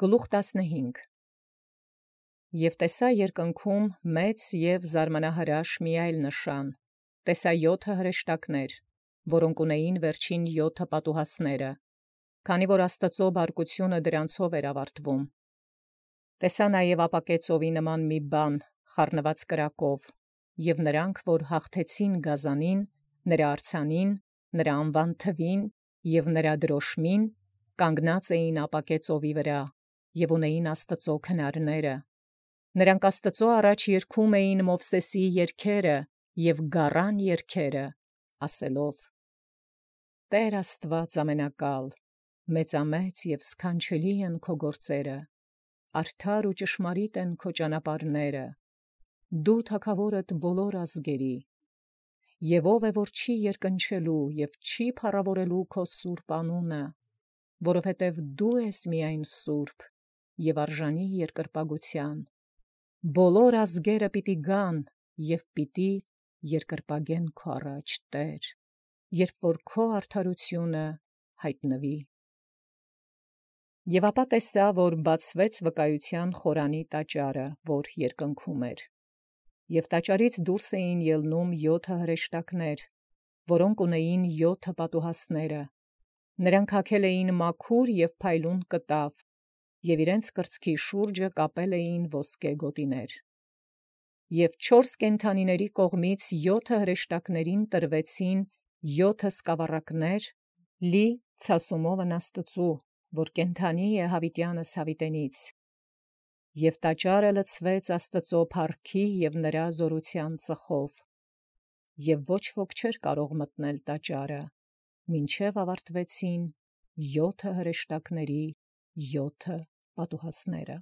Գլուխ 15 Եւ տեսա երկնքում մեծ եւ զարմանահրաշ մի այլ նշան. տեսա 7 հրեշտակներ, որոնք ունեին վերջին 7 պատուհասները, քանի որ Աստուծոյ բարկությունը դրանցով էր ավարտվում։ Տեսա նաև ապակե ծովի նման մի բան խառնված կրակով, եւ նրանք, որ հաղթեցին գազանին, նրա արձանին, նրա անվան թվին եւ նրա դրոշմին, կանգնած էին ապակե ծովի վրա եւ ունեին Աստուծոյ քնարները։ Նրանք Աստուծոյ առաջ երգում էին Մովսեսի երգերը եւ գառան երգերը, ասելով. Տեր Աստուած ամենակալ, մեծամեծ եւ սքանչելի են քո գործերը, արդար ու ճշմարիտ են քո ճանապարհները, դու թագաւորդ բոլոր ազգերի, եւ ով է որ չի երկնչելու եւ չի փառաւորելու քո սուրբ անունը, որովհետեւ դու ես միայն սուրբ եւ արժանի երկրպագության։ Բոլոր ազգերը պիտի գան եւ պիտի երկրպագեն քո առաջ, Տեր, երբ որ քո արդարությունը յայտնվի։ Եւ ապա տեսա, որ բացվեց վկայության խորանի տաճարը, որ երկնքում էր, եւ տաճարից դուրս էին ելնում 7 հրեշտակներ, որոնք ունեին 7 պատուհասները. նրանք հագել էին մաքուր եւ փայլուն կտավ, եւ իրենց կրծքի շուրջը կապել էին ոսկե գոտիներ։ Եւ 4 կենդանիների կողմից 7 հրեշտակներին տրվեցին 7 սկավառակներ լի ցասումովն Աստուծոյ, որ կենդանի է յաւիտեանս յաւիտենից, եւ տաճարը լցվեց Աստուծոյ փառքի եւ նրա զօրութեան ծխով, եւ ոչ ոք չէր կարող մտնել տաճարը, մինչև ավարտվեցին 7 հրեշտակների 7 պատուհասները։